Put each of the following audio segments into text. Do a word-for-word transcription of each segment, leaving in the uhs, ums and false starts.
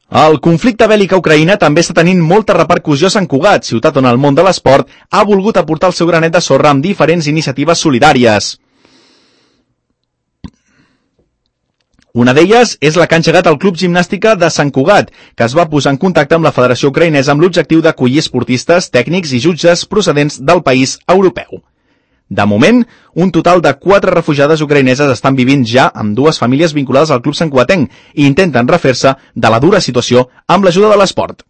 El conflicte bèl·lic a Ucraïna també està tenint molta repercussió a Sant Cugat, ciutat on el món de l'esport ha volgut aportar el seu granet de sorra amb diferents iniciatives solidàries. Una d'elles és la que ha engegat el Club Gimnàstica de Sant Cugat, que es va posar en contacte amb la Federació Ucraïnesa amb l'objectiu d'acollir esportistes, tècnics i jutges procedents del país europeu. De moment, un total de quatre refugiades ucraïneses estan vivint ja amb dues famílies vinculades al Club santcugatenc i intenten refer-se de la dura situació amb l'ajuda de l'esport.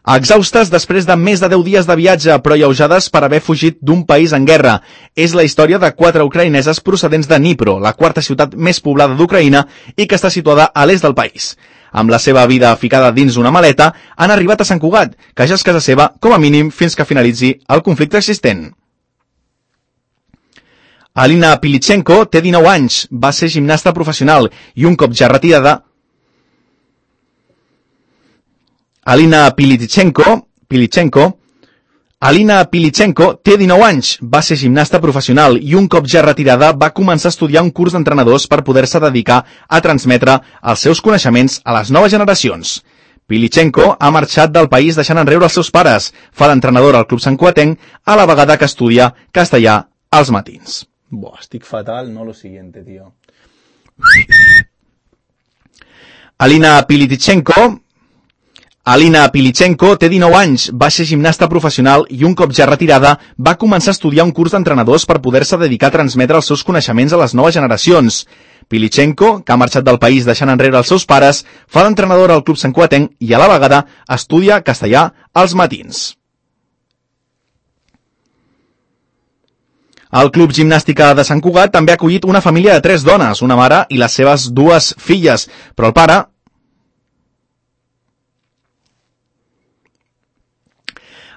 Exhaustes després de més de deu dies de viatge, però alleujades per haver fugit d'un país en guerra. És la història de quatre ucraïneses procedents de Dnipro, la quarta ciutat més poblada d'Ucraïna i que està situada a l'est del país. Amb la seva vida ficada dins una maleta, han arribat a Sant Cugat, que ja és casa seva, com a mínim, fins que finalitzi el conflicte existent. Alina Pilichenko té dinou anys, va ser gimnasta professional i un cop ja retirada... Alina Pilichenko, Pilichenko, Alina Pilichenko té dinou anys, va ser gimnasta professional i un cop ja retirada va començar a estudiar un curs d'entrenadors per poder-se dedicar a transmetre els seus coneixements a les noves generacions. Pilichenko ha marxat del país deixant enrere els seus pares, fa d'entrenadora al Club santcugatenc, a la vegada que estudia castellà als matins. Buah, estic fatal, no lo siguiente, tío. Alina Pilichenko... Alina Pilichenko té dinou anys, va ser gimnasta professional i un cop ja retirada va començar a estudiar un curs d'entrenadors per poder-se dedicar a transmetre els seus coneixements a les noves generacions. Pilichenko, que ha marxat del país deixant enrere els seus pares, fa d'entrenadora al Club santcugatenc i a la vegada estudia castellà als matins. El Club Gimnàstica de Sant Cugat també ha acollit una família de tres dones, una mare i les seves dues filles, però el pare...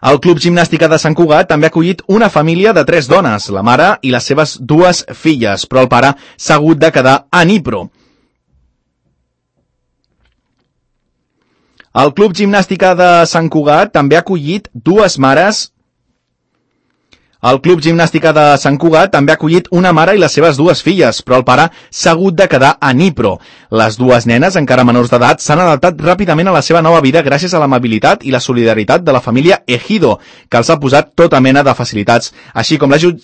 El Club Gimnàstica de Sant Cugat també ha acollit una família de tres dones, la mare i les seves dues filles, però el pare s'ha hagut de quedar a Dnipro. El Club Gimnàstica de Sant Cugat també ha acollit dues mares... El Club Gimnàstica de Sant Cugat també ha acollit una mare i les seves dues filles, però el pare s'ha hagut de quedar a Dnipro. Les dues nenes, encara menors d'edat, s'han adaptat ràpidament a la seva nova vida gràcies a l'amabilitat i la solidaritat de la família Ejido, que els ha posat tota mena de facilitats, així com l'ajut...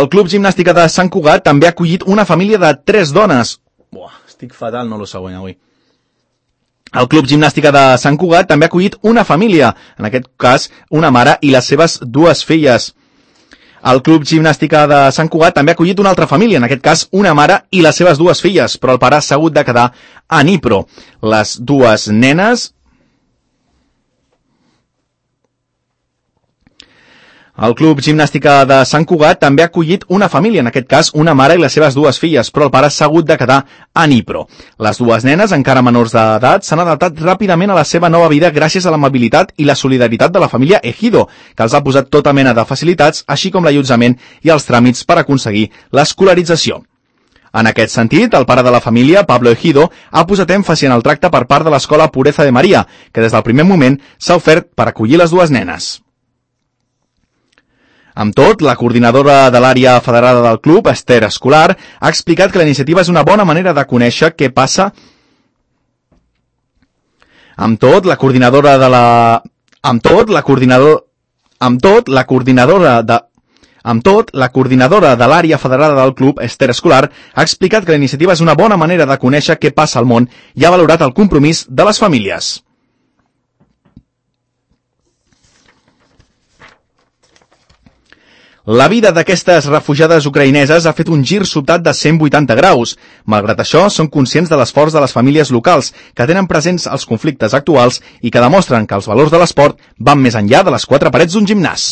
El Club Gimnàstica de Sant Cugat també ha acollit una família de tres dones. Buah, estic fatal, no lo següent avui. El Club Gimnàstica de Sant Cugat també ha acollit una família, en aquest cas una mare i les seves dues filles. El Club Gimnàstica de Sant Cugat també ha acollit una altra família, en aquest cas una mare i les seves dues filles, però el pare s'ha hagut de quedar a Dnipro. Les dues nenes... El Club Gimnàstica de Sant Cugat també ha acollit una família, en aquest cas una mare i les seves dues filles, però el pare s'ha hagut de quedar a Dnipro. Les dues nenes, encara menors d'edat, s'han adaptat ràpidament a la seva nova vida gràcies a l'amabilitat i la solidaritat de la família Ejido, que els ha posat tota mena de facilitats, així com l'allotjament i els tràmits per aconseguir l'escolarització. En aquest sentit, el pare de la família, Pablo Ejido, ha posat èmfasi en el tracte per part de l'escola Pureza de Maria, que des del primer moment s'ha ofert per acollir les dues nenes. Amb tot, la coordinadora de l'àrea federada del club, Esther Escolar, ha explicat que la iniciativa és una bona manera de conèixer què passa. Amb tot, la coordinadora de la... Amb tot, la coordinador... Amb tot, la coordinadora de... Amb tot, la coordinadora de l'àrea federada del club, Esther Escolar, ha explicat que la iniciativa és una bona manera de conèixer què passa al món i ha valorat el compromís de les famílies. La vida d'aquestes refugiades ucraïneses ha fet un gir sobtat de cent vuitanta graus. Malgrat això, són conscients de l'esforç de les famílies locals, que tenen presents els conflictes actuals i que demostren que els valors de l'esport van més enllà de les quatre parets d'un gimnàs.